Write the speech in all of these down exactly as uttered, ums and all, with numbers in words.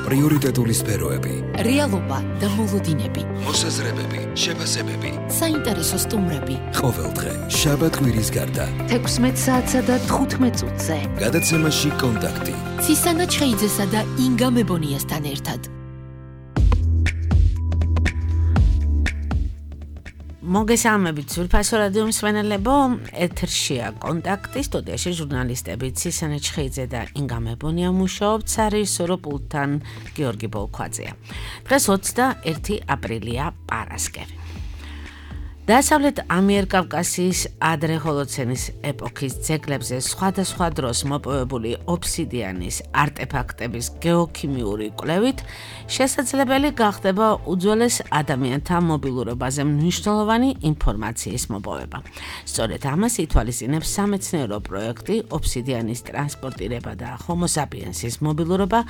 პრიორიტეტული სფეროები, რეალობა და მოლოდინები, მოსაზრებები, შეფასებები, საინტერესო სტუმრები. ყოველდღე შაბათ-კვირის გარდა თექვსმეტ საათსა და თხუთმეტ წუთზე. გადაცემაში კონტაქტი. ცისანა ჩხეიძესა და ინგა მებონიასთან ერთად. მოგესალმებით ძვირფასო რადიო მსმენელებო, ეთერშია კონტაქტი, სტუდიაში ჟურნალისტები ცისანა ჩხეიძე და ინგა მებონია მუშაობთ, სარეჟისორო პულტთან გიორგი ბოლქვაძეა. დღეს ოცდაერთი აპრილია, პარასკევი. დასავლეთ ამიერკავკასიის ადრე ჰოლოცენის ეპოქის ძეგლებზე სხვადასხვა დროს მოპოვებული ობსიდიანის არტეფაქტების გეოქიმიური კვლევით შესაძლებელი გახდება უძველეს ადამიანთა მობილურობაზე მნიშვნელოვანი ინფორმაციის მოპოვება. სწორედ ამას ითვალისწინებს სამეცნიერო პროექტი ობსიდიანის ტრანსპორტირება და ჰომო საპიენსის მობილურობა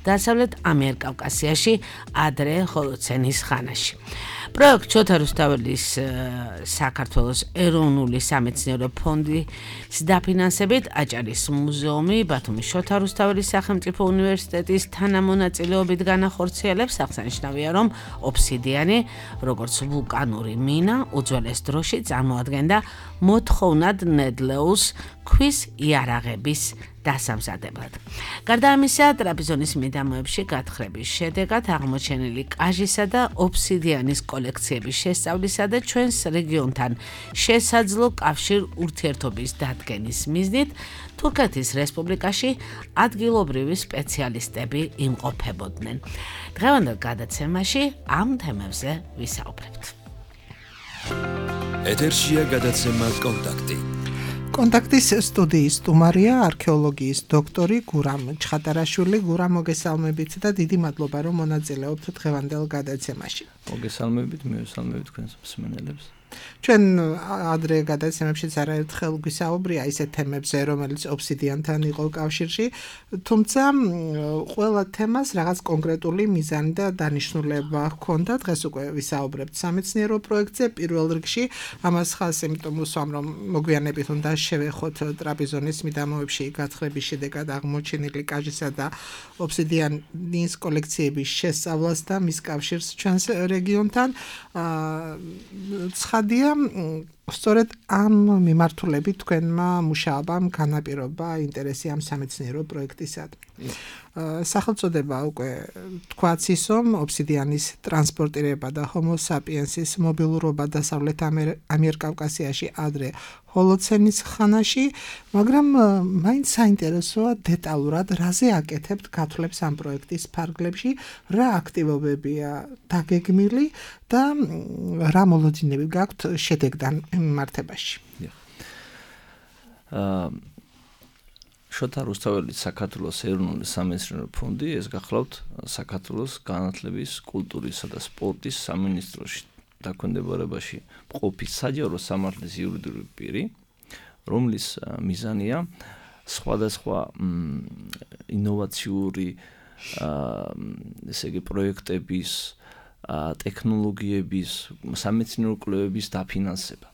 დასავლეთ ამიერკავკასიაში ადრე ჰოლოცენის ხანაში. პროექტ შოთა რუსთაველის საქართველოს ეროვნული სამეცნიერო ფონდის დაფინანსებით აჭარის მუზეუმი ბათუმის შოთა რუსთაველის სახელმწიფო უნივერსიტეტის თანამონაწილეობით განახორციელებს. აღსანიშნავია, რომ ობსიდიანი, როგორც ვულკანური მინა, უძველეს დროში წარმოადგენდა მოთხოვნად ნედლეულს ქვის იარაღების დასამზადებლად. გარდა ამისა, ტრაპიზონის მიდამოებში გათხრების შედეგად აღმოჩენილი კაჟისა და ობსიდიანის კოლექციების შესწავლისა და ჩვენს რეგიონთან შესაძლო კავშირ ურთიერთობის დადგენის მიზნით თურქეთის რესპუბლიკაში ადგილობრივი სპეციალისტები იმყოფებოდნენ. დღევანდელ გადაცემაში ამ თემებზე ვისაუბრებთ. ეთერშია გადაცემა კონტაქტი. კონტაქტის სტუდიის სტუმარია არქეოლოგიის დოქტორი გურამ ჩხატარაშვილი. გურამ, მოგესალმებით და დიდი მადლობა, რომ მონაწილეობთ დღევანდელ გადაცემაში. მოგესალმებით, მივესალმებით თქვენს მსმენელებს. ჩვენ ადრე გადაცემებშიც არაერთხელ გვისაუბრია ისეთ თემებზე, რომელიც ობსიდიანთან იყო კავშირში, თუმცა ყველა თემას რაღაც კონკრეტული მიზანი და დანიშნულება ჰქონდა. დღეს უკვე ვისაუბრებთ სამეცნიერო პროექტზე. პირველ რიგში ამას ხაზს იმიტომ ვუსვამ, რომ მოგვიანებით უნდა შევეხოთ ტრაპიზონის მიდამოებში გათხრების შედეგად აღმოჩენილი კაჟისა და ობსიდიანის კოლექციების შესწავლას და მის კავშირს ჩვენს რეგიონთან. ცხადია, სწორედ ამ მიმართულებით თქვენმა მუშაობამ განაპირობა ინტერესი ამ სამეცნიერო პროექტისადმი. სახელწოდება უკვე თქვაც ის, რომ ობსიდიანის ტრანსპორტირება და ჰომო საპიენსის მობილურობა დასავლეთ ამიერკავკასიაში ადრე ჰოლოცენის ხანაში, მაგრამ მაინც საინტერესოა დეტალურად რაზე აკეთებთ გათვლებს ამ პროექტის ფარგლებში, რა აქტივობებია დაგეგმილი და რა მოლოდინები გაქვთ შედეგთან მიმართებაში. აა შოთა რუსთაველის საქართველოს ეროვნული სამეცნიერო ფონდი, ეს გახლავთ საქართველოს განათლების, კულტურისა და სპორტის სამინისტროში დაქვემდებარებაში მყოფი საჯარო სამართლის იურიდიული პირი, რომლის მიზანია სხვადასხვა ინოვაციური ესე იგი პროექტების, ტექნოლოგიების, სამეცნიერო კვლევების დაფინანსება.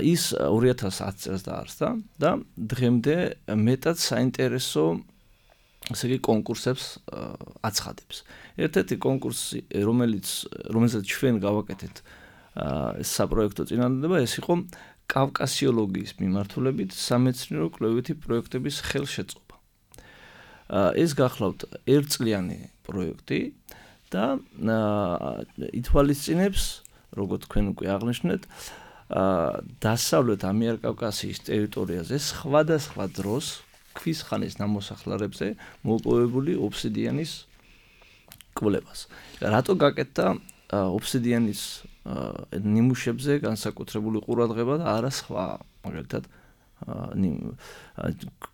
ის ორი ათას ათი წელს დაარსდა და დღემდე მეტად საინტერესო ესე იგი კონკურსებს აცხადებს. ერთ-ერთი კონკურსი, რომელიც რომელსაც ჩვენ გავაკეთეთ ეს საპროექტო წინადადება, ეს იყო კავკასიოლოგიის მიმართულებით სამეცნიერო კვლევითი პროექტების ხელშეწყობა. ეს გახლავთ ერთწლიანი პროექტი და ითვალისწინებს, როგორც თქვენ უკვე აღნიშნეთ, დასავლეთ ამიერკავკასიის ტერიტორიაზე სხვადასხვა დროს ქვის ხანის ნამოსახლარებზე მოპოვებული ობსიდიანის კვლევას. რატო გაკეთდა ობსიდიანის ნიმუშებზე განსაკუთრებული ყურადღება და არა სხვა, მაგალითად,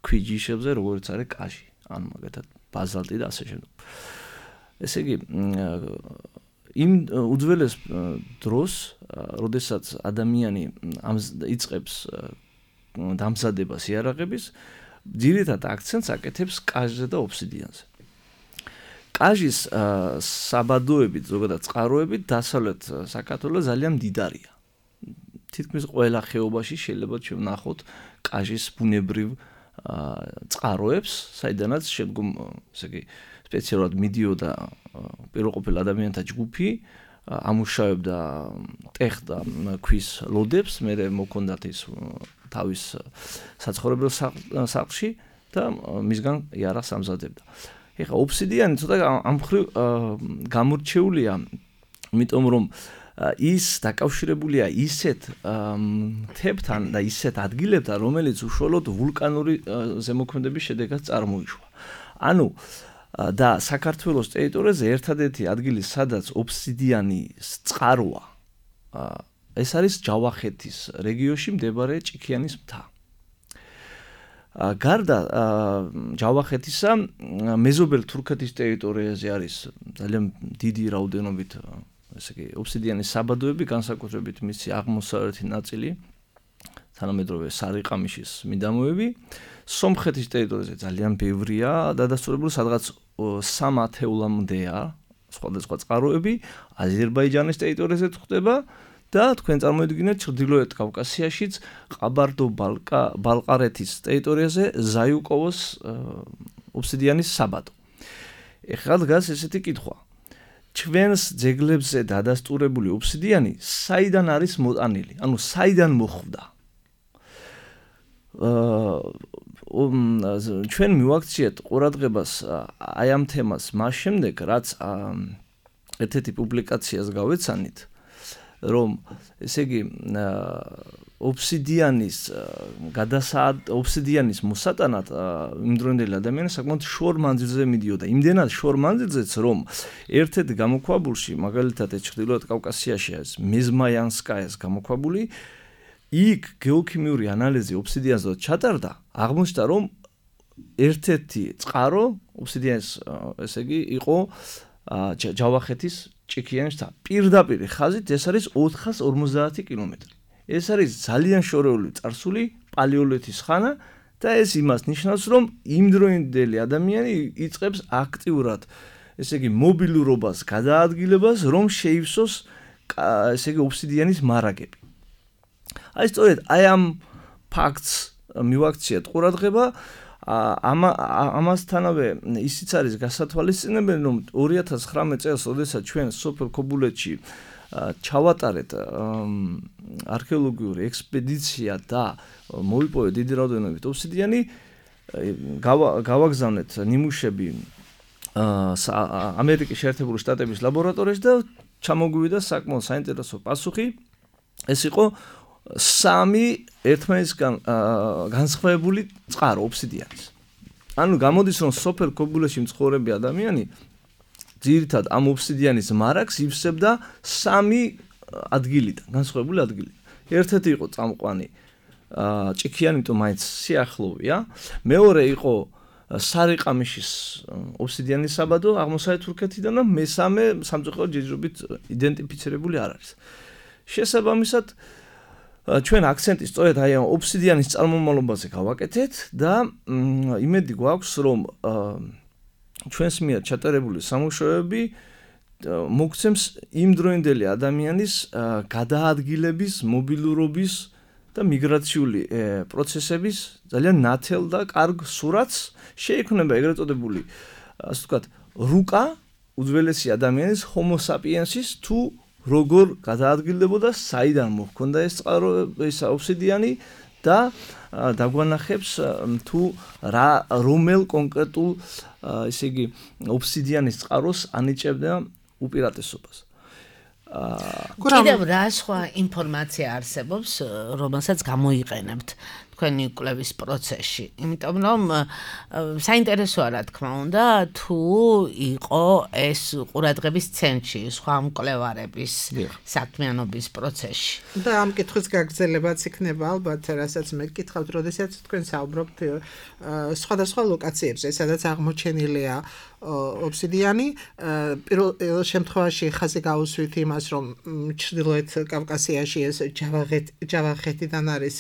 ქვიჯიშებზე, როგორც არის კაჟი, ანუ მაგალითად ბაზალტი და ასე შემდეგ. ესე იგი, იმ უძველეს დროს, როდესაც ადამიანი იწყებს დამზადებას იარაღების, ძირითად აქცენტს აკეთებს კაჟზე და ობსიდიანზე. კაჟის საბადოებით, ზოგადად წყაროებით დასავლეთ საქართველოს ძალიან მდიდარია. თითქმის ყველა ხეობაში შეიძლება ჩვენ ვნახოთ კაჟის ბუნებრივ წყაროებს, საიდანაც შემდგომ ესე იგი სპეციალურად მიდიოდა პირველყოფილ ადამიანთა ჯგუფი, ამუშავებდა ტეხ და ქვის ლოდებს, მერე მოქონდათ ის თავის საცხოვრებელ სახლში და მისგან იარაღს ამზადებდა. ეხლა ოფსიდიანი ცოტა ამ მხრივ გამორჩეულია, იმიტომ რომ ის დაკავშირებულია ისეთ მთებთან და ისეთ ადგილებთან, რომელიც უშუალოდ ვულკანური ზემოქმედების შედეგად წარმოიშვა. ანუ და საქართველოს ტერიტორიაზე ერთადერთი ადგილი, სადაც ოფსიდიანის წყაროა, ეს არის ჯავახეთის რეგიონში მდებარე ჭიქიანის მთა. გარდა ჯავახეთისა, მეზობელ თურქეთის ტერიტორიაზე არის ძალიან დიდი რაოდენობით ესე იგი ოფსიდიანის საბადოები, განსაკუთრებით მისი აღმოსავლეთი ნაწილი, თანამედროვე სარიყამიშის მიდამოები. სომხეთის ტერიტორიაზე ძალიან ბევრია დადასტურებული, სადღაც სამ ათეულამდეა სხვადასხვა წყაროები, აზერბაიჯანის ტერიტორიაზე ხდება და თქვენ წარმოიდგინეთ ჩრდილოეთ კავკასიაშიც ყაბარდო-ბალყარეთის ტერიტორიაზე ზაიუკოვოს ოფსიდიანის საბადო. ეხლა დგას ესეთი კითხვა. ჩვენს ძეგლებზე დადასტურებული ოფსიდიანი საიდან არის მოტანილი? ანუ საიდან მოხვდა? ჩვენ მივაქციეთ ყურადღებას აი ამ თემას მას შემდეგ, რაც ერთ-ერთი პუბლიკაციას გავეცანით, რომ ესე იგი ოფსიდიანის გადასაად ოფსიდიანის მოსატანად იმდროინდელი ადამიანი საკმაოდ შორ მანძილზე მიდიოდა. იმდენად შორ მანძილზეც, რომ ერთ-ერთ გამოქვაბულში, მაგალითად ჩრდილოეთ კავკასიაში არის მეზმაიანსკაიას გამოქვაბული, იქ გეოქიმიური ანალიზი ოფსიდიანზე ჩატარდა, აღმოჩნდა, რომ ერთ-ერთი წყარო ოფსიდიანის ესე იგი იყო ჯავახეთის ჭიქიანის მთა. პირდაპირ ხაზით ეს არის ოთხას ორმოცდაათი კილომეტრი. ეს არის ძალიან შორეული წარსული პალეოლითის ხანა და ეს იმას ნიშნავს, რომ იმდროინდელი ადამიანი იწყებს აქტიურად ესე იგი მობილურობას, გადაადგილებას, რომ შეივსოს ესე იგი ოფსიდიანის მარაგები. აი სწორედ აი ამ ფაქტს მივაქციეთ ყურადღება, ამასთანავე ისიც არის გასათვალისწინებელი, რომ ორი ათას ცხრამეტ წელს, როდესაც ჩვენ სოფელ ქობულეთში ჩავატარეთ არქეოლოგიური ექსპედიცია და მოვიპოვეთ დიდი რაოდენობით ოფსიდიანი, გავაგზავნეთ ნიმუშები ამერიკის შეერთებული შტატების ლაბორატორიაში და ჩამოგვივიდა საკმაოდ საინტერესო პასუხი. ეს იყო სამი ერთმანეთისგან განსხვავებული წყარო ოფსიდიანის. ანუ გამოდის, რომ სოფელ ქობულეთში მცხოვრები ადამიანი ძირითადად ამ ოფსიდიანის მარაგს ივსებდა სამი ადგილიდან, განსხვავებული ადგილიდან. ერთ-ერთი იყო წამყვანი ჭიქიანი, იმიტომ მაინც სიახლოვეა. მეორე იყო სარიყამიშის ოფსიდიანის საბადო აღმოსავლეთ თურქეთიდან და მესამე სამწუხაროდ ჯერჯერობით იდენტიფიცირებული არ არის. შესაბამისად, ჩვენ აქცენტი სწორედ აი ამ ოფსიდიანის წარმომავლობაზე გავაკეთეთ და იმედი გვაქვს, რომ ჩვენს მიერ ჩატარებული სამუშაოები მოგცემს იმდროინდელი ადამიანის გადაადგილების, მობილურობის და მიგრაციული პროცესების ძალიან ნათელ და კარგ სურათს. შეიქმნება ეგრეთ წოდებული, ასე ვთქვათ, რუკა უძველესი ადამიანის ჰომო საპიენსის თუ როგორ გადაადგილდებოდა, საიდან მოჰქონდა ეს წყარო, ეს ოფსიდიანი და დაგვანახებს თუ რა რომელ კონკრეტულ ესე იგი ოფსიდიანის წყაროს ანიჭებდა უპირატესობას. კიდევ რა სხვა ინფორმაცია არსებობს, რომელსაც გამოიყენებთ თქვენი კვლევის პროცესში? იმიტომ რომ საინტერესოა, რა თქმა უნდა, თუ იყო ეს ყურადღების ცენტრში სხვა მკვლევარების საქმიანობის პროცესში. და ამ კითხვის გაგრძელებაც იქნება ალბათ, რასაც მე გკითხავთ, როდესაც თქვენ საუბრობთ სხვადასხვა ლოკაციებზე, სადაც აღმოჩენილია ოფსიდიანი. პირველ შემთხვევაში ხაზი გაუსვით იმას, რომ ჩრდილოეთ კავკასიაში ეს ჯავახეთიდან არის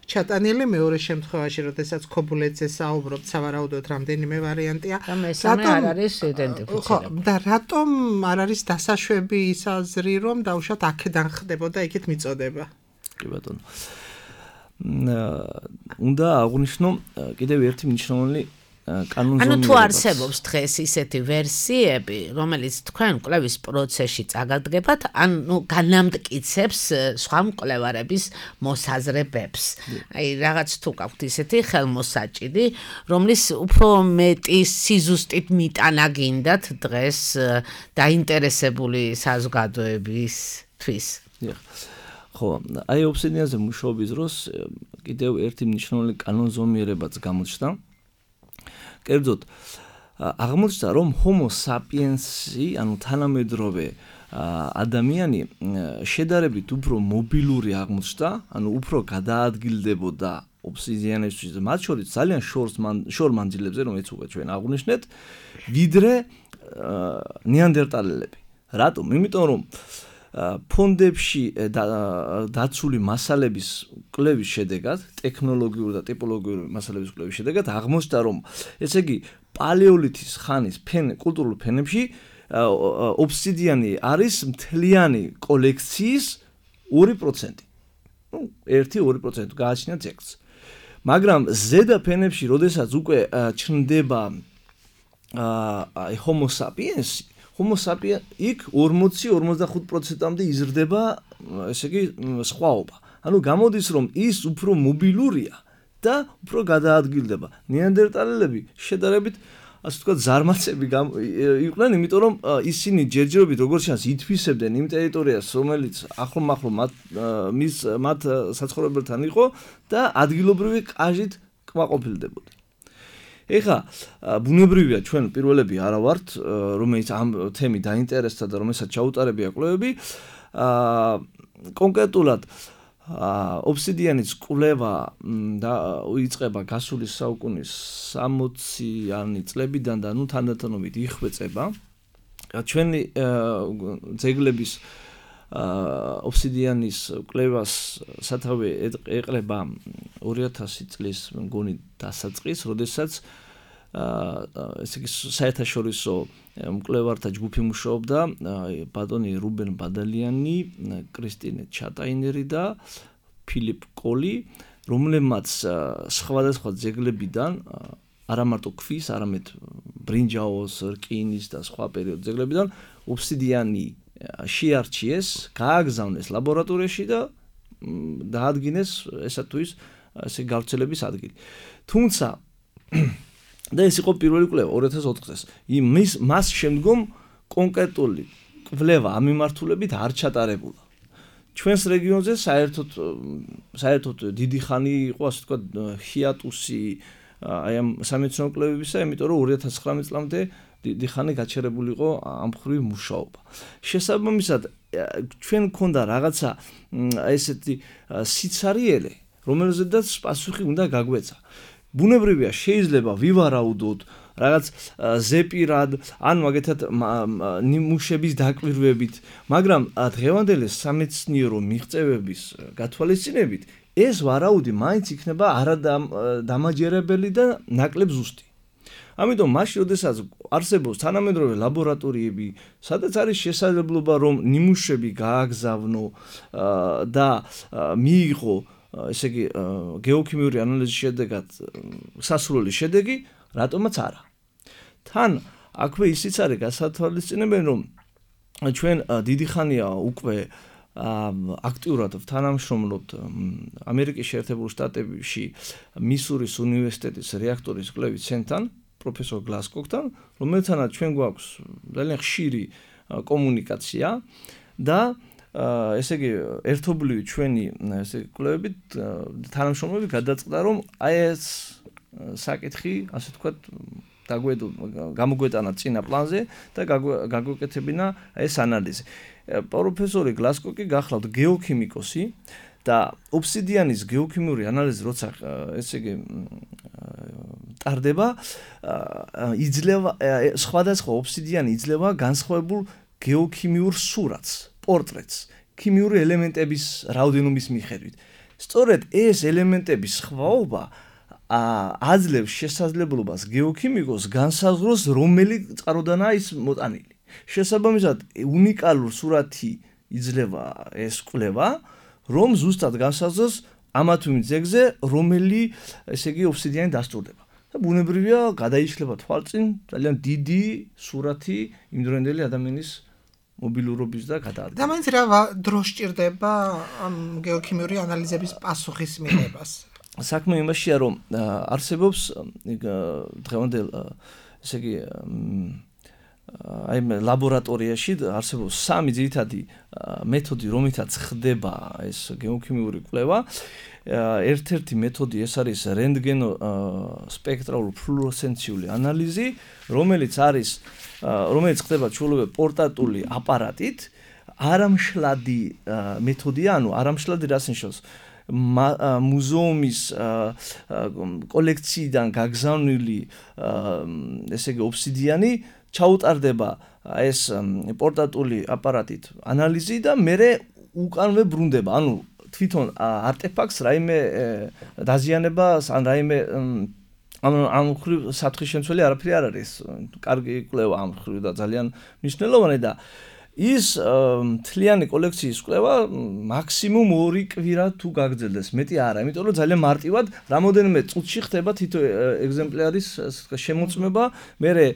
ჩატანილი. მეორე შემთხვევაში, როდესაც ქობულეთზე საუბრობთ, სავარაუდოდ რამდენიმე ვარიანტია. და მესამე არ არის იდენტიფიცირებული. და რატომ არ არის დასაშვები ის აზრი, რომ დაუშვათ აქედან ხდებოდა იქით მიწოდება? კი ბატონო. უნდა აღვნიშნო კიდევ ერთი მნიშვნელოვანი კანონზომიერება. ანუ თუ არსებობს დღეს ისეთი ვერსიები, რომელიც თქვენ კვლევის პროცესში წაგადგებათ, ანუ განამტკიცებს სხვა მკვლევარების მოსაზრებებს. აი რაღაც თუ გაქვთ ისეთი ხელმოსაჭიდი, რომლის უფრო მეტი სიზუსტით მიტანა გინდათ დღეს დაინტერესებული საზოგადოებისთვის. ხო, აი ობსიდიანზე მუშაობის დროს კიდევ ერთი მნიშვნელოვანი კანონზომიერებაც გამოჩნდა. კერძოდ აღმოჩნდა რომ homo sapiens-ი, ანუ თანამედროვე ადამიანი შედარებით უფრო მობილური აღმოჩნდა, ანუ უფრო გადაადგილდებოდა ობსიდიანისთვის, მათ შორის ძალიან შორ მანძილებზე, რომელიც უკვე ჩვენ აღვნიშნეთ, ვიდრე ნეანდერტალელები. რატომ? იმიტომ რომ ფონდებში დაცული მასალების კვლევის შედეგად, ტექნოლოგიური და ტიპოლოგიური მასალების კვლევის შედეგად აღმოჩნდა, რომ ესე იგი პალეოლითის ხანის კულტურულ ფენებში ობსიდიანი არის მთლიანი კოლექციის ორი პროცენტი. ნუ ერთი ორი პროცენტი გააჩნია ძეგლს. მაგრამ ზედა ფენებში, როდესაც უკვე ჩნდება აი homo sapiens homo sapiens იქ ორმოცი ორმოცდახუთ პროცენტამდე იზრდება, ესე იგი, სხვაობა. ანუ გამოდის, რომ ის უფრო მობილურია და უფრო გადაადგილდება. ნეანდერტალელები შედარებით, ასე ვთქვათ, ზარმაცები იყვნენ, იმიტომ რომ ისინი ჯერჯერობით როგორც ჩანს ითვისებდნენ იმ ტერიტორიას, რომელიც ახლომახლო მათ მის მათ საცხოვრებელთან იყო და ადგილობრივი კაჟით კმაყოფილდებოდა. ეხლა ბუნებრივია ჩვენ პირველები არა ვართ, რომელიც ამ თემით დაინტერესდა და რომელსაც ჩაუტარებია კვლევები. კონკრეტულად ობსიდიანის კვლევა და იწყება გასული საუკუნის სამოციანი წლებიდან და ნუ თანდათანობით იხვეწება. ჩვენი ძეგლების ობსიდიანის კვლევას სათავე ეყრება ორი ათასი წლის მგონი დასაწყის, როდესაც ესე იგი საერთაშორისო მკვლევართა ჯგუფი მუშაობდა, ბატონი რუბენ ბადალიანი, კრისტინე ჩატაინერი და ფილიპ კოლი, რომლებმაც სხვადასხვა ძეგლებიდან არა მარტო ქვის, არამედ ბრინჯაოს, რკინის და სხვა პერიოდის ძეგლებიდან ობსიდიანი შეარჩიეს, გააგზავნეს ლაბორატორიაში და დაადგინეს ესა თუ ის ესე გავრცელების ადგილი. თუმცა და ეს იყო პირველი კვლევა ორი ათას ოთხ წელს. იმის მას შემდგომ კონკრეტული კვლევა ამ მიმართულებით არ ჩატარებულა. ჩვენს რეგიონზე საერთოდ საერთოდ დიდი ხანი იყო, ასე ვთქვათ, ჰიატუსი აი ამ სამეცნიერო კვლევებისა, იმიტომ რომ ორი ათას ცხრამეტ წლამდე დიდი ხანი გაჩერებული იყო ამ მხრივ მუშაობა. შესაბამისად, ჩვენ გქონდა რაღაცა ესეთი სიცარიელე, რომელზედაც პასუხი უნდა გაგვეცა. ბუნებრივია, შეიძლება ვივარაუდოთ რაღაც ზეპირად, ან მაგეთად ნიმუშების დაკვირვებით, მაგრამ დღევანდელი სამეცნიერო მიღწევების გათვალისწინებით ეს ვარაუდი მაინც იქნება არადამაჯერებელი და ნაკლებ ზუსტი. ამიტომ მაშინ, როდესაც არსებობს თანამედროვე ლაბორატორიები, სადაც არის შესაძლებლობა, რომ ნიმუშები გააგზავნო და მიიღო, ესე იგი, გეოქიმიური ანალიზის შედეგად სასურველი შედეგი, რატომაც არა. თან აქვე ისიც არის გასათვალისწინებელი, რომ ჩვენ დიდი ხანია უკვე აქტიურად თანამშრომლობთ ამერიკის შეერთებულ შტატებში მისურის უნივერსიტეტის რეაქტორის კვლევის ცენტრთან, პროფესორ გლასკოკთან, რომელთანაც ჩვენ გვაქვს ძალიან ხშირი კომუნიკაცია და ესე იგი ერთობლივი ჩვენი ესე კვლევებით თანამშრომლები გადაწყდა, რომ აი ეს საკითხი, ასე ვთქვათ, დაგვედო გამოგვეტანა წინა პლანზე და გაგვეკეთებინა ეს ანალიზი. პროფესორი გლასკოკი გახლავთ გეოქიმიკოსი და ობსიდიანის გეოქიმიური ანალიზი როცა ესე იგი ტარდება, იძლევა სხვადასხვა ობსიდიანი იძლევა განსხვავებულ გეოქიმიურ სურათს, პორტრეტს, ქიმიური ელემენტების რაოდენობის მიხედვით. სწორედ ეს ელემენტების სხვაობა აძლევს შესაძლებლობას გეოქიმიკოს განსაზღვროს, რომელი წყაროდანაა ის მოტანილი. შესაბამისად, უნიკალურ სურათი იძლევა ეს კვლევა, რომ ზუსტად განსაზღვროს ამა თუ იმ ძეგლზე რომელი ესე იგი ობსიდიანი დასტურდება. და ბუნებრივია გადაიშლება თვალწინ ძალიან დიდი სურათი იმდროინდელი ადამიანის მობილურობის და გადაადგილების. და მაინც რა დრო სჭირდება ამ გეოქიმიური ანალიზების პასუხის მიღებას? საქმე იმაშია, რომ არსებობს დღევანდელ ესე იგი აი ლაბორატორიაში არსებობს სამი ძირითადი მეთოდი, რომლითაც ხდება ეს გეოქიმიური კვლევა. ერთ-ერთი მეთოდი ეს არის რენტგენო სპექტრალური ფლუორესცენციული ანალიზი, რომელიც არის რომელიც ხდება ჩვეულებრივ პორტატული აპარატით, არამშლადი მეთოდია, ანუ არამშლადი რას ნიშნავს? მუზეუმის კოლექციიდან გაგზავნილი ესე იგი ობსიდიანი ჩაუტარდება ეს პორტატული აპარატით ანალიზი და მერე უკანვე ბრუნდება, ანუ თვითონ არტეფაქტს რაიმე დაზიანებას ან რაიმე ამ ამ ხრივ საფრთხის შემცველი არაფერი არ არის. კარგი კვლევა ამ ხრივ და ძალიან მნიშვნელოვანი და ის მთლიანი კოლექციის კვლევა მაქსიმუმ ორი კვირა თუ გაგრძელდეს, მეტი არა, იმიტომ რომ ძალიან მარტივად რამოდენიმე წუთში ხდება თითო ეგზემპლარის შემოწმება, მერე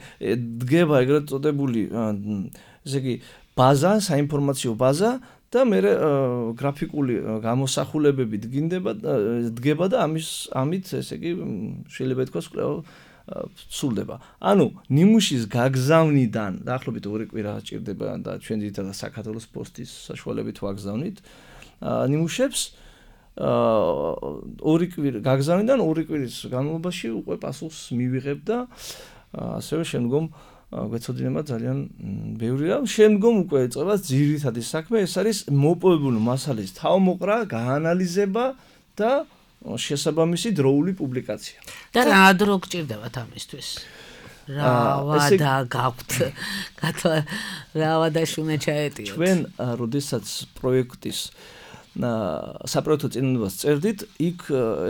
დგება ეგრეთ წოდებული ესე იგი ბაზა, საინფორმაციო ბაზა და მერე გრაფიკული გამოსახულებები დგინდება დგება და ამის ამით ესე იგი შეიძლება ითქვას კვლევა სრულდება. ანუ ნიმუშის გაგზავნიდან დაახლოებით ორი კვირა სჭირდება და ჩვენ ძირითადად საქართველოს პოსტის საშუალებით ვაგზავნით ნიმუშებს. ორი კვირა გაგზავნიდან ორი კვირის განმავლობაში უკვე პასუხს მივიღებ და ასევე შემდგომ გვეცოდინება ძალიან ბევრი რამ. შემდგომ უკვე ეწება ძირითადი საქმე, ეს არის მოპოვებული მასალის თავმოყრა, გაანალიზება და შესაბამისი დროული პუბლიკაცია. და რა დრო გჭირდებათ ამისთვის? რა ვადა გაქვთ? რა ვადა შუნა ჩაეტიოთ? ჩვენ როდესაც პროექტის საპროექტო წინადადებას წერდით, იქ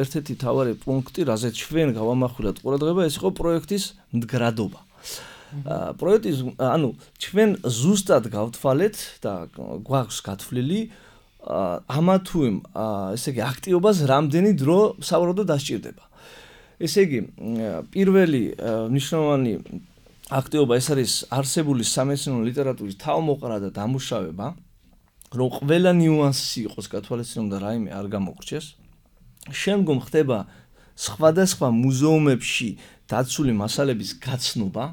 ერთ-ერთი მთავარი პუნქტი, რაზეც ჩვენ გავამახვილეთ ყურადღება, ეს იყო პროექტის მდგრადობა. პროექტის, ანუ ჩვენ ზუსტად გავთვალეთ და გვაქვს გათვლილი ამა თუ იმ ესე იგი აქტივობას რამდენი დრო სავარაუდოდ დასჭირდება. ესე იგი პირველი მნიშვნელოვანი აქტივობა ეს არის არსებული სამეცნიერო ლიტერატურის თავმოყრა და დამუშავება, რომ ყველა ნიუანსი იყოს გათვალისწინებული და რაიმე არ გამოგრჩეს. შემდგომ ხდება სხვადასხვა მუზეუმებში დაცული მასალების გაცნობა.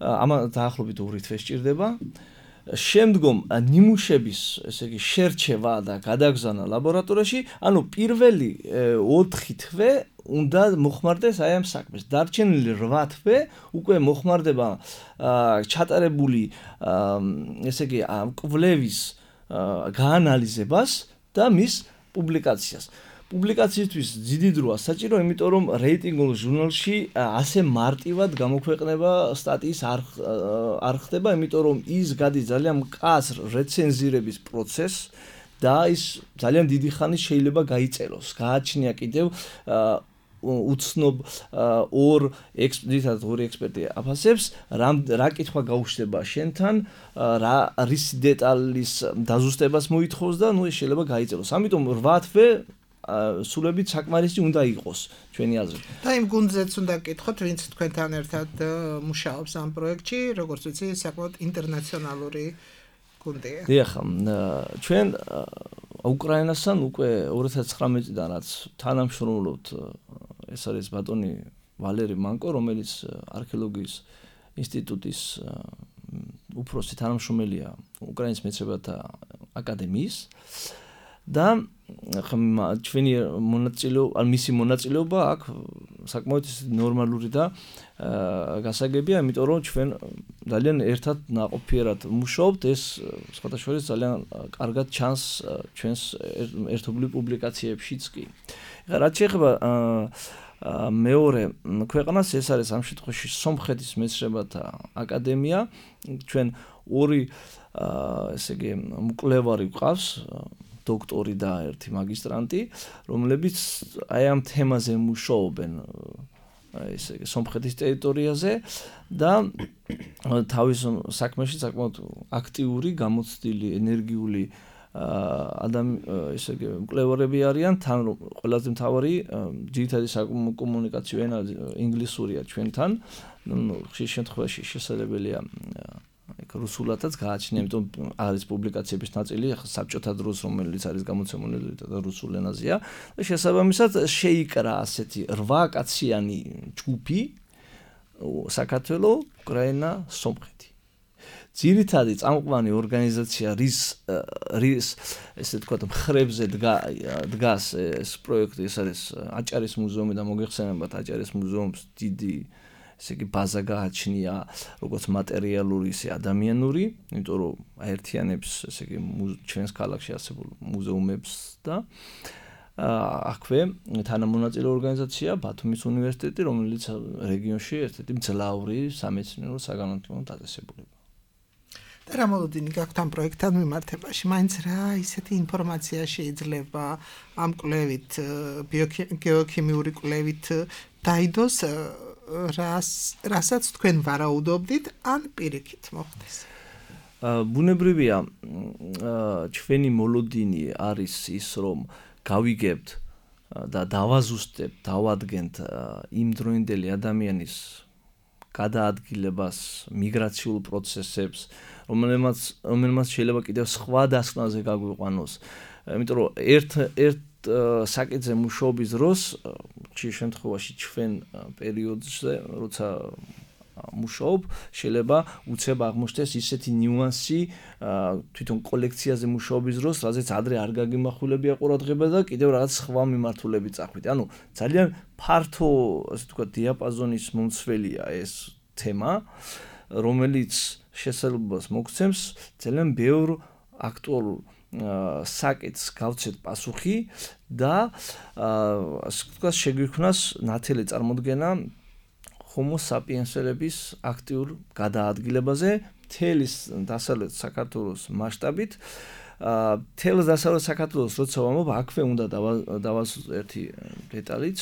ამა დაახლოებით ორი თვე სჭირდება. შემდგომ ნიმუშების, ესე იგი, შერჩევა და გადაგზავნა ლაბორატორიაში, ანუ პირველი ოთხი თვე უნდა მოხმარდეს აი ამ საქმეს. დარჩენილი რვა თვე უკვე მოხმარდება ჩატარებული, ესე იგი, კვლევის გაანალიზებას და მის პუბლიკაციას. პუბლიკაციისთვის დიდი დროა საჭირო, იმიტომ რომ რეიტინგულ ჟურნალში ასე მარტივად გამოქვეყნება სტატიის არ ხდება, იმიტომ რომ ის გადის ძალიან მკაცრ რეცენზირების პროცესს და ის ძალიან დიდი ხანი შეიძლება გაიწეროს. გააჩნია კიდევ უცნობ ორ ექსპერტად ორი ექსპერტი აფასებს, რა კითხვა გაუჩნდება შენთან, რა რის დეტალის დაზუსტებას მოითხოვს და ნუ ეს შეიძლება გაიწეროს. ამიტომ რვა თვე სულებით საკმარისი უნდა იყოს ჩვენი აზრით. და იმ გუნდზეც უნდა გკითხოთ, ვინც თქვენთან ერთად მუშაობს ამ პროექტში, როგორც ვიცი, საკმაოდ ინტერნაციონალური გუნდია. დიახ, ჩვენ უკრაინასთან უკვე ორი ათას ცხრამეტიდან რაც თანამშრომლობთ, ეს არის ბატონი ვალერი მანკო, რომელიც არქეოლოგიის ინსტიტუტის უფროსი თანამშრომელია უკრაინის მეცნიერებათა აკადემიის და ჩვენი მონაწილეობა, ან მისი მონაწილეობა აქ საკმაოდ ნორმალური და გასაგებია, იმიტომ რომ ჩვენ ძალიან ერთად ნაყოფიერად მუშაობთ, ეს სხვათა შორის ძალიან კარგად ჩანს ჩვენს ერთობლივ პუბლიკაციებშიც კი. ეხლა რაც შეეხება მეორე ქვეყანას, ეს არის ამ შემთხვევაში სომხეთის მეცნიერებათა აკადემია, ჩვენ ორი ესე იგი მკვლევარი გვყავს, დოქტორი და ერთი მაგისტრანტი, რომლებიც აი ამ თემაზე მუშაობენ, ესე იგი სომხეთის ტერიტორიაზე და თავის საქმეში საკმაოდ აქტიური, გამოცდილი, ენერგიული ადამ ესე იგი მკვლევარები არიან, თან რომ ყველაზე მთავარი ძირითადი საკომუნიკაციო ენა ინგლისურია ჩვენთან. ნუ ხშირ შემთხვევაში შესაძლებელია ეგ რუსულადაც გააჩნია, იმიტომ არის პუბლიკაციების ნაწილი საბჭოთა დროს, რომელიც არის გამოცემული რუსულ ენაზეა და შესაბამისად შეიკრა ასეთი რვა კაციანი ჯგუფი საქართველო, უკრაინა, სომხეთი. ძირითადი წამყვანი ორგანიზაცია რის რის ესე ვთქვათ მხრებზე დგას ეს პროექტი, ეს არის აჭარის მუზეუმი და მოგეხსენებათ აჭარის მუზეუმს დიდი ესე იგი ბაზა გააჩნია, როგორც მატერიალური, ისე ადამიანური, იმიტომ რომ აერთიანებს ესე იგი ჩვენს ქალაქში არსებულ მუზეუმებს და აქვე თანამონაწილე ორგანიზაცია ბათუმის უნივერსიტეტი, რომელიც რეგიონში ერთ-ერთი მძლავრი სამეცნიერო საგანმანათლებლო დაწესებულებაა. და რა მოლოდინი გაქვთ ამ პროექტთან მიმართებაში? მაინც რა ისეთი ინფორმაცია შეიძლება ამ კვლევით, ბიოგეოქიმიური კვლევით დაიდოს, რას რასაც თქვენ ვარაუდობდით, ან პირიქით მოხდეს? ბუნებრივია, ჩვენი მოლოდინი არის ის, რომ გავიგებთ და დავაზუსტებთ, დავადგენთ იმ დროინდელი ადამიანის გადაადგილებას, მიგრაციულ პროცესებს, რომელმაც რომელმაც შეიძლება კიდევ სხვა დასკვნაზე გაგვიყვანოს. იმიტომ რომ ერთ ერთ საკითხზე მუშაობის დროს, ხშირ შემთხვევაში ჩვენ პერიოდზე, როცა მუშაობ, შეიძლება უცებ აღმოჩნდეს ისეთი ნიუანსი თვითონ კოლექციაზე მუშაობის დროს, რაზეც ადრე არ გაგიმახვილებია ყურადღება და კიდევ რაღაც სხვა მიმართულებით წახვიდე. ანუ ძალიან ფართო, ასე ვთქვათ, დიაპაზონის მომცველია ეს თემა, რომელიც შესაძლებლობას მოგცემს ძალიან ბევრ აქტუალურ საკითხს გავცეთ პასუხი და ასე ვთქვათ, შეგვიქმნას ნათელი წარმოდგენა Homo sapiens-ების აქტიურ გადაადგილებაზე მთელის დასავლეთ საქართველოს მასშტაბით. მთელს დასავლეთ საქართველოს როცა ვამბობ, აქვე უნდა დავასვათ ერთი დეტალიც.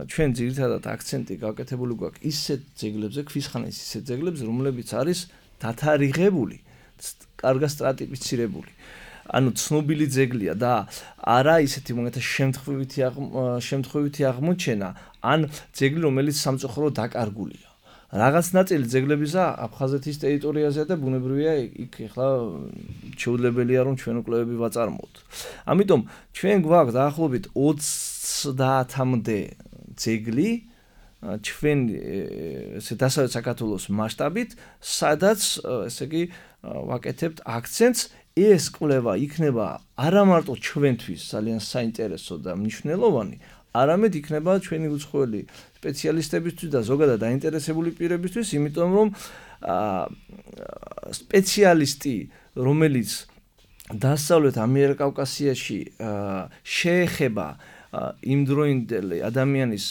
ჩვენ ძირითადად აქცენტი გავკეთებული გვაქვს ისეთ ძეგლებზე, ქვისხანის ისეთ ძეგლებზე, რომლებიც არის დათარიღებული, კარგად სტრატიფიცირებული. ანუ ცნობილი ძეგლია და არა ისეთი მომეთა შემთხვევითი შემთხვევითი აღმოჩენა, ან ძეგლი, რომელიც სამწუხაროდ დაკარგულია. რაღაც ნაწილი ძეგლებისა აფხაზეთის ტერიტორიაზეა და ბუნებრივია იქ ახლა შეუძლებელია რომ ჩვენ კვლევები ვაწარმოოთ. ამიტომ ჩვენ გვაქვს დაახლოებით ოცდაათამდე ძეგლი ჩვენ ესე დასავლეთ საქართველოს მასშტაბით, სადაც ესე იგი ვაკეთებთ აქცენტს. ეს კვლევა იქნება არა მარტო ჩვენთვის ძალიან საინტერესო და მნიშვნელოვანი, არამედ იქნება ჩვენი უცხოელი სპეციალისტებისთვის და ზოგადად დაინტერესებული პირებისთვის, იმიტომ რომ სპეციალისტი, რომელიც დასავლეთ ამიერკავკასიაში შეეხება იმდროინდელი ადამიანის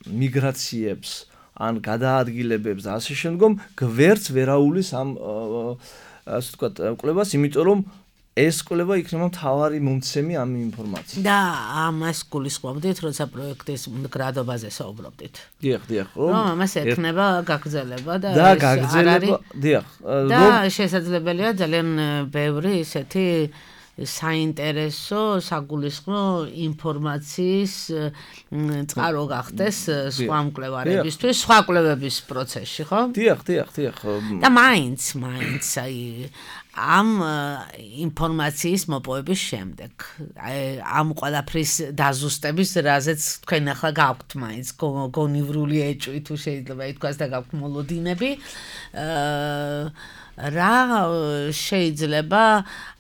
მიგრაციებს ან გადაადგილებებს და ასე შემდგომ, გვერდს ვერაულის ამ ასე ვთქვათ, კვლევას, იმიტომ რომ ეს კვლევა იქნება მთავარი მომცემი ამ ინფორმაციის. და ამას გულისხმობდით, როცა პროექტის მდგრადობაზე საუბრობდით. დიახ, დიახ. რომ ამას ექნება გაგრძელება და და გაგრძელება, დიახ. და შესაძლებელია ძალიან ბევრი ისეთი საინტერესო, საგულისხმო ინფორმაციის წყარო გახდეს სხვა მკვლევარებისთვის, სხვა კვლევების პროცესში, ხო? დიახ, დიახ, დიახ. და მაინც, მაინც აი ამ ინფორმაციის მოპოვების შემდეგ, ამ ყველაფრის დაზუსტების, რაზეც თქვენ ახლა გაქვთ მაინც გონივრული ეჭვი თუ შეიძლება ითქვას და გაქვთ მოლოდინები, რა შეიძლება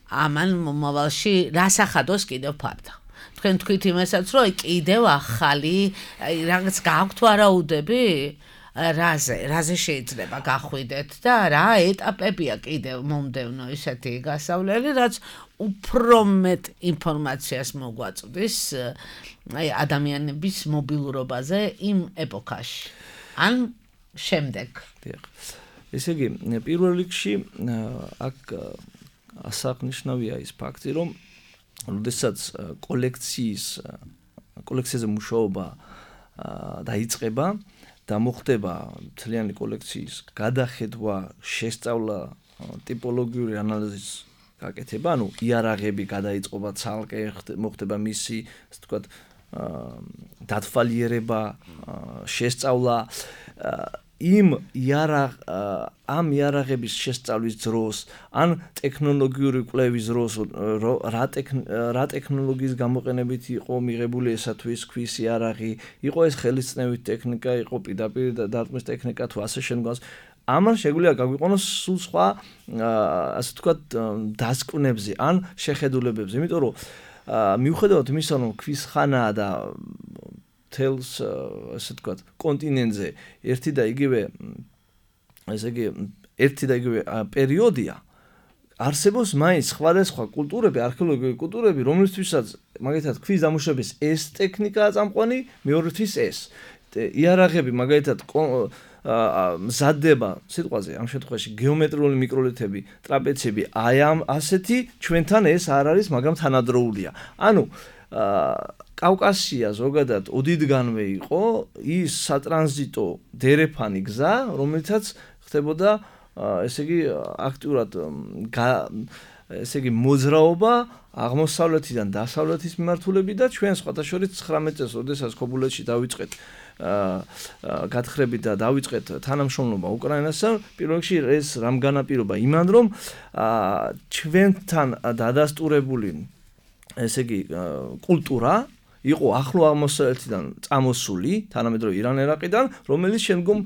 ამან მომავალში რასახადოს კიდევ ფარდა. თქვენ თქვით იმასაც, რომ კიდევ ახალი რაღაც გაქვთ ვარაუდები, რაზე, რაზე შეიძლება გახვიდეთ და რა ეტაპებია კიდევ მომდევნო ისეთი გასავლელი, რაც უფრო მეტ ინფორმაციას მოგვაწვდის აი ადამიანების მობილურობაზე იმ ეპოქაში. ან შემდეგ. ესე იგი, პირველ რიგში აქ ასაყნიშნავია ის ფაქტი, რომ როდესაც კოლექციის კოლექციაზე მუშაობა დაიწყება და მოხდება მთლიანი კოლექციის გადახედვა, შესწავლა, ტიპოლოგიური ანალიზის გაკეთება, ანუ იარაღები გადაიწყობა ცალკე, მოხდება მისი, ასე ვთქვათ, დათვალიერება, შესწავლა იმ იარაღ ამ იარაღების შესწავლის დროს ან ტექნოლოგიური კვლევის დროს რა რა ტექნოლოგიის გამოყენებით იყო მიღებული ესა თუ ის ქვის იარაღი, იყო ეს ხელისწნევით ტექნიკა, იყო პირდაპირ დარტყმის ტექნიკა თუ ასე შემდგომს. ამან შეგვიძლია გაგვიყენოს სულ სხვა ასე ვთქვათ დასკვნებზე ან შეხედულებებზე, იმიტომ რომ მიუხედავად იმისა, რომ ქვის ხანაა და თელს ასე ვთქვათ კონტინენტზე ერთი და იგივე ესე იგი ერთი და იგივე პერიოდია არსებობს მაინც სხვადასხვა კულტურები, არქეოლოგიური კულტურები, რომლისთვისაც მაგალითად ქვის დამუშავების ეს ტექნიკაა წამყვანი, მეორეთვის ეს. იარაღები მაგალითად მზადდება სიტყვაზე ამ შემთხვევაში გეომეტრიული მიკროლითები, ტრაპეციები, აი ამ ასეთი ჩვენთან ეს არ არის, მაგრამ თანადროულია. ანუ კავკასია ზოგადად ოდითგანვე იყო ის სატრანზიტო დერეფანი გზა, რომელიცაც ხდებოდა ესე იგი აქტიურად ესე იგი მოძრაობა აღმოსავლეთიდან დასავლეთის მიმართულებით და ჩვენ სხვათა შორის ცხრამეტ წელს, როდესაც ქობულეთში დავიწყეთ გათხრებით და დავიწყეთ თანამშრომლობა უკრაინასთან, პირველ რიგში ეს რამ განაპირობა იმან, რომ ჩვენთან დადასტურებული ესე იგი კულტურა იყო ახლო აღმოსავლეთიდან წამოსული, თანამედროვე ირან-ერაყიდან, რომელიც შემდგომ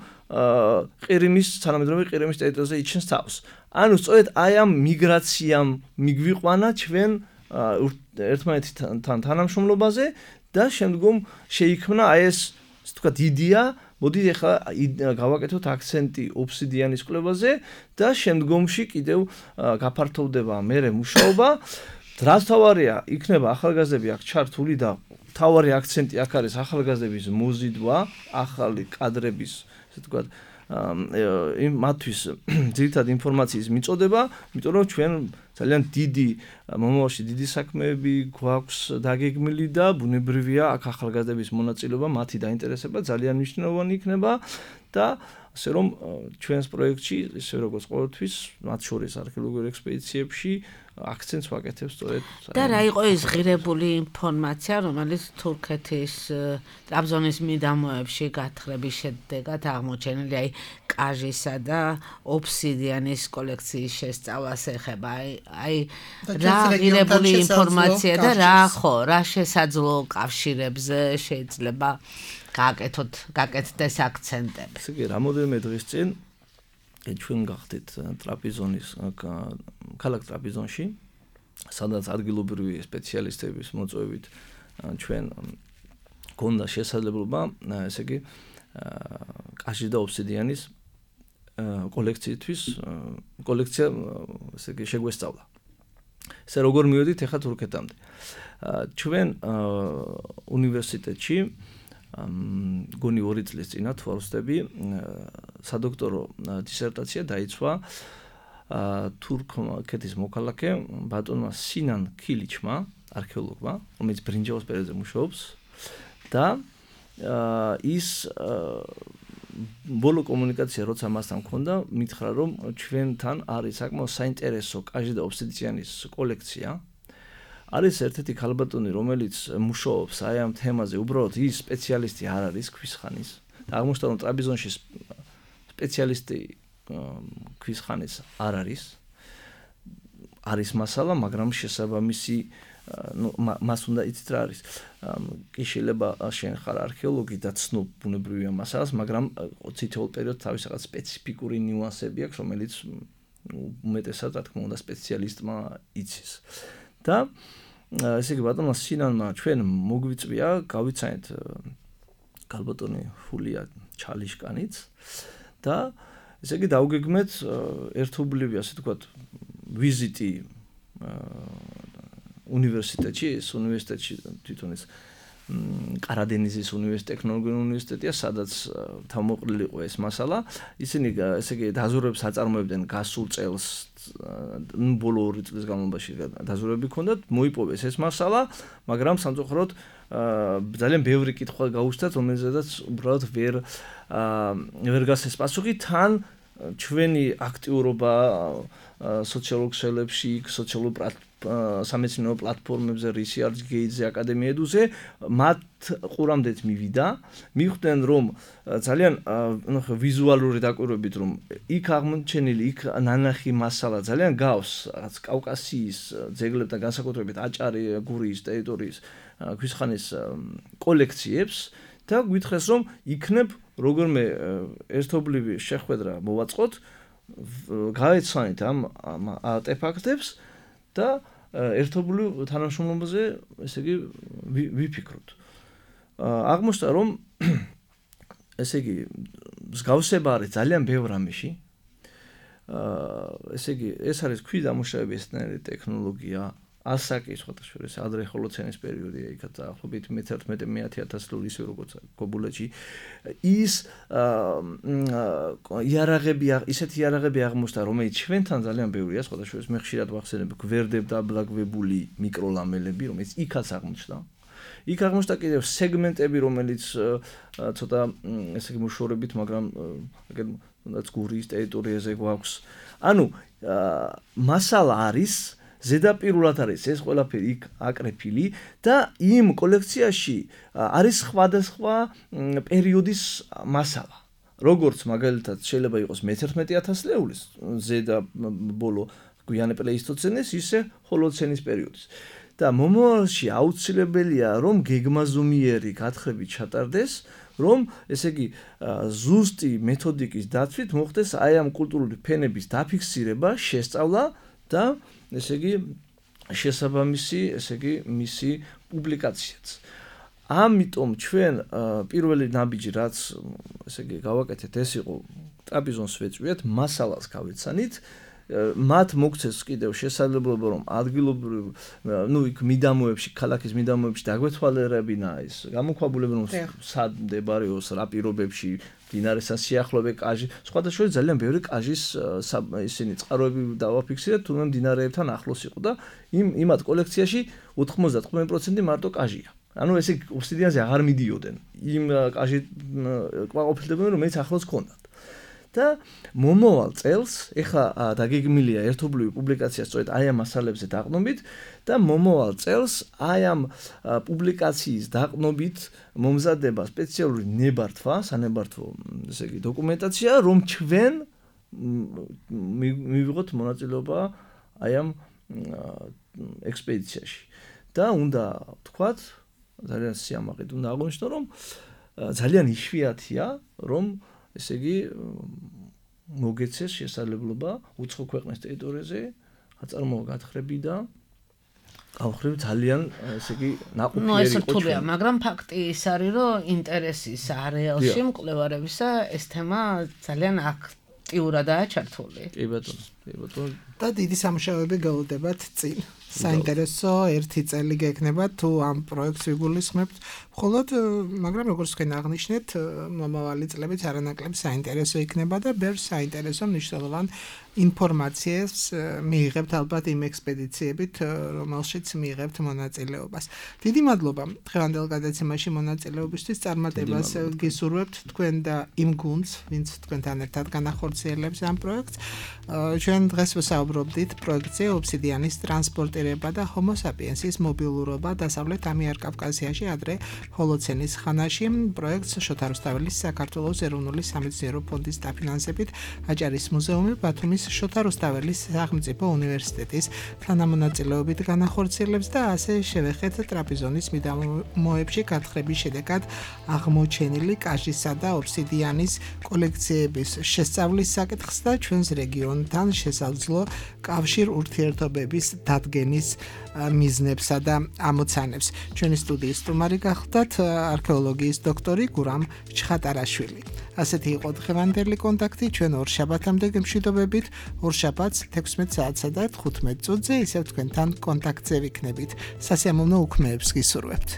ყირიმის, თანამედროვე ყირიმის ტერიტორიაზე იჩენს თავს. ანუ სწორედ აი ამ მიგრაციამ მიგვიყვანა ჩვენ ერთმანეთთან თანამშრომლობაზე და შემდგომ შეიქმნა აი ეს, ასე ვთქვათ, იდეა, მოდით ახლა გავაკეთოთ აქცენტი ობსიდიანის კვლევაზე და შემდგომში კიდევ გაფართოვდება მერე მუშაობა. რაც თავარია, იქნება ახალგაზრდები აქ ჩართული და თავარი აქცენტი აქ არის ახალგაზრდების მოზიდვა, ახალი კადრების, ასე ვთქვათ, იმ მათთვის ძირითადად ინფორმაციის მიწოდება, იმიტომ რომ ჩვენ ძალიან დიდი მომავალში დიდი საქმეები გვაქვს დაგეგმილი და ბუნებრივია აქ ახალგაზრდების მონაწილეობა, მათი დაინტერესება ძალიან მნიშვნელოვანი იქნება და ასე რომ ჩვენს პროექტში, ისე როგორც ყოველთვის, მათ შორის არქეოლოგიურ ექსპედიციებში აქცენტს ვაკეთებ სწორედ. და რა იყო ეს ღირებული ინფორმაცია, რომელიც თურქეთის ტრაბზონის მიდამოებში გათხრების შედეგად აღმოჩენილი, აი კაჟისა და ობსიდიანის კოლექციის შესწავლას ეხება. აი რა ღირებული ინფორმაცია და რა ხო, რა შესაძლო კავშირებზე შეიძლება გააკეთოთ, გააკეთდეს აქცენტები. ესე იგი, რამოდენიმე დღის წინ ჩვენ გახდით ტრაპიზონის ქალაქ ტრაპიზონში, სადაც ადგილობრივი სპეციალისტების მოწვევით ჩვენ გონდა შესაძლებლობა, ესე იგი, კაჟის და ობსიდიანის კოლექციისთვის კოლექცია ესე იგი შეგვესწავლა. ესე როგორ მივედით ახლა თურქეთამდე. ჩვენ უნივერსიტეტში გონი ორი წლის წინა თუ არ ვცდები, სადოქტორო დისერტაცია დაიცვა თურქეთის მოქალაქე ბატონმა სინან ქილიჩმა, არქეოლოგმა, რომელიც ბრინჯაოს პერიოდზე მუშაობს და ის ბოლო კომუნიკაცია როცა მასთან მქონდა, მითხრა რომ ჩვენთან არის საკმაოდ საინტერესო კაჟის და ობსიდიანის კოლექცია. არის ერთ-ერთი ქალბატონი, რომელიც მუშაობს აი ამ თემაზე, უბრალოდ ის სპეციალისტი არ არის ქვის ხანის. და აღმოჩნდა რომ ტრაპიზონში სპეციალისტი ქვის ხანის არ არის. არის მასალა, მაგრამ შესაბამისი ნუ მას უნდა იცით რა არის. კი შეიძლება შენ ხარ არქეოლოგი და ცნობ ბუნებრივია მასალას, მაგრამ თითოეულ პერიოდს თავის რაღაც სპეციფიკური ნიუანსები აქვს, რომელიც უმეტესად რა თქმა უნდა სპეციალისტმა იცის. და ესე იგი ბატონმა სინანმა ჩვენ მოგვიწვია, გავიცანეთ ქალბატონი ჰულია ჩალიშკანიც და ესე იგი დავგეგმეთ ერთობლივი, ასე ვთქვათ, ვიზიტი უნივერსიტეტში, ეს უნივერსიტეტში თვითონ ეს ყარადენიზის უნივერსიტეტი, ტექნოლოგიური უნივერსიტეტია, სადაც თავმოყრილი იყო ეს მასალა. ისინი ესე იგი დაზვერვებს აწარმოებდნენ გასულ წელს, ბოლო ორი წლის განმავლობაში დაზვერვები ჰქონდათ, მოიპოვეს ეს მასალა, მაგრამ სამწუხაროდ ძალიან ბევრი კითხვა გაუჩნდათ, რომელზედაც უბრალოდ ვერ ვერ გასცეს პასუხი, თან ჩვენი აქტიურობა სოციალურ ქსელებში, სოციალურ სამეცნიერო პლატფორმებზე, Research Gate-ზე, აკადემია ედუზე მათ ყურამდეც მივიდა, მიხვდნენ რომ ძალიან ნუ ვიზუალური დაკვირვებით რომ იქ აღმოჩენილი, იქ ნანახი მასალა ძალიან გავს რაც კავკასიის ძეგლებთან განსაკუთრებით აჭარი, გურიის ტერიტორიის ქვისხანის კოლექციებს და გვითხრეს რომ იქნებ როგორმე ერთობლივი შეხვედრა მოვაწყოთ, გავეცანით ამ არტეფაქტებს და ერთობლივ თანამშრომლობაზე, ესე იგი, ვიფიქროთ. აღმოჩნდა რომ ესე იგი, მსგავსება არის ძალიან ბევრ რამეში. ესე იგი, ეს არის ქვიდამუშავების ტექნოლოგია, ასაკი სხვადასხვა ადრე ჰოლოცენის პერიოდია, იქაც ახლობით მეთერთმეტე მეათე ათასწლეული ისე როგორც გობულეთში ის იარაღები ისეთი იარაღები აღმოჩნდა, რომელიც ჩვენთან ძალიან ბევრია, სხვადასხვა მე ხშირად ვახსენებ გვერდებდაბლაგვებული მიკროლამელები, რომელიც იქაც აღმოჩნდა. იქ აღმოჩნდა კიდევ სეგმენტები, რომელიც ცოტა ესე იგი მოშორებით, მაგრამ თუნდაც გურიის ტერიტორიაზე გვაქვს. ანუ მასალა არის ზედაპირულად არის ეს ყველაფერი იქ აკრეფილი და იმ კოლექციაში არის სხვადასხვა პერიოდის მასალა. როგორც მაგალითად შეიძლება იყოს მეთერთმეტე ათასწლეულის ზედა ბოლო გვიანე პლეისტოცენის, ისე ჰოლოცენის პერიოდის. და მომავალში აუცილებელია რომ გეგმაზომიერი გათხრები ჩატარდეს, რომ ესე იგი ზუსტი მეთოდიკის დაცვით მოხდეს აი ამ კულტურული ფენების დაფიქსირება, შესწავლა და ესე იგი შესაბამისი, ესე იგი მისი პუბლიკაციაც. ამიტომ ჩვენ პირველი ნაბიჯი რაც ესე იგი გავაკეთეთ, ეს იყო ტრაპიზონს ვეწვიეთ, მასალას გავეცანით, მათ მოგცეს კიდევ შესაძლებლობა რომ ადგილობრივ ნუ იქ მიდამოებში, ქალაქის მიდამოებში დაგვეთვალერებინა ეს გამოქვაბულები რომ სად მდებარეობს, რა პირობებში დინარესთან სიახლოვე კაჟი, სხვადასხვა ძალიან ბევრი კაჟის ისინი წყაროები დავაფიქსირეთ, თუმცა დინარეებთან ახლოს იყო და იმ იმათ კოლექციაში ოთხმოცდათხმეტი პროცენტი მარტო კაჟია. ანუ ესე ობსიდიანზე აღარ მიდიოდნენ. იმ კაჟი ყოფილებდნენ რომელიც ახლოს ჰქონდათ. და მომავალ წელს ეხა დაგეგმილია ერთობლივი პუბლიკაცია სწორედ აი ამ მასალებზე დაყნობით და მომავალ წელს აი ამ პუბლიკაციის დაყნობით მომზადება სპეციალური ნებართვა, სანებართვო ესე იგი დოკუმენტაცია, რომ ჩვენ მივიღოთ მონაწილეობა აი ამ ექსპედიციაში. და უნდა ვთქვათ, ძალიან სიამაყედ უნდა აღვნიშნო, რომ ძალიან იშვიათია, რომ ესე იგი მოგეცეს შესაძლებლობა უცხო ქვეყნის ტერიტორიაზე აწარმოო გათხრები და გავხრივ ძალიან ესე იგი ნაყოფიერი იყო. ნუ ეს რთულია, მაგრამ ფაქტი ის არის, რომ ინტერესის არეალში მკვლევარებისა ეს თემა ძალიან აქტიურადაა ჩართული. კი ბატონო, კი ბატონო. და დიდი სამუშაოები გელოდებათ წინ. საინტერესო ერთი წელი გექნება თუ ამ პროექტს ვიგულისხმებთ, მხოლოდ მაგრამ როგორც თქვენ აღნიშნეთ, მომავალი წლებიც არანაკლებ საინტერესო იქნება და ბევრ საინტერესო მნიშვნელოვან ინფორმაციას მიიღებთ ალბათ იმ ექსპედიციებით, რომელშიც მიიღებთ მონაწილეობას. დიდი მადლობა დღევანდელ გადაცემაში მონაწილეობისთვის, წარმატებას გისურვებთ თქვენ და იმ გუნდს, ვინც თქვენთან ერთად განახორციელებს ამ პროექტს. ჩვენ დღეს ვსაუბრობდით პროექტზე ობსიდიანის ტრანსპორტირება და ჰომო საპიენსის მობილურობა დასავლეთ ამიერკავკასიაში ადრე ჰოლოცენის ხანაში. პროექტს შოთა რუსთაველის საქართველოს ეროვნული სამეცნიერო ფონდის დაფინანსებით აჭარის მუზეუმი, ბათუმის შოთა რუსთაველის სახელმწიფო უნივერსიტეტის თანამონაწილეობით განახორციელებს და ასე შევეხეთ ტრაპიზონის მიდამოებში გათხრების შედეგად აღმოჩენილი კაჟისა და ობსიდიანის კოლექციების შესწავლის საკითხს და ჩვენს რეგიონთან შესაძლო კავშირ ურთიერთობების დადგენის მიზნებსა და ამოცანებს. ჩვენი სტუდიის სტუმარი გახლდათ არქეოლოგიის დოქტორი გურამ ჩხატარაშვილი. ასეთი იყო დღევანდელი კონტაქტი, ჩვენ ორ შაბათამდე გემშვიდობებით, ორ შაბათს თექვსმეტ საათსა და თხუთმეტ წუთზე ისევ თქვენთან კონტაქტზე ვიქნებით. სასიამოვნო უქმეებს გისურვებთ.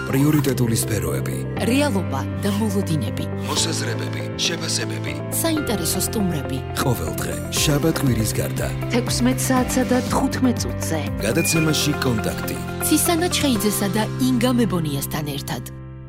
პრიორიტეტული სფეროები, რეალობა და მოლოდინები, მოსაზრებები, შეფასებები, საინტერესო სტუმრები. ყოველდღე შაბათ კვირის გარდა თექვსმეტ საათსა და თხუთმეტ წუთზე გადაცემაში კონტაქტი. ცისანა ჩხეიძესა და ინგა მებონიასთან ერთად.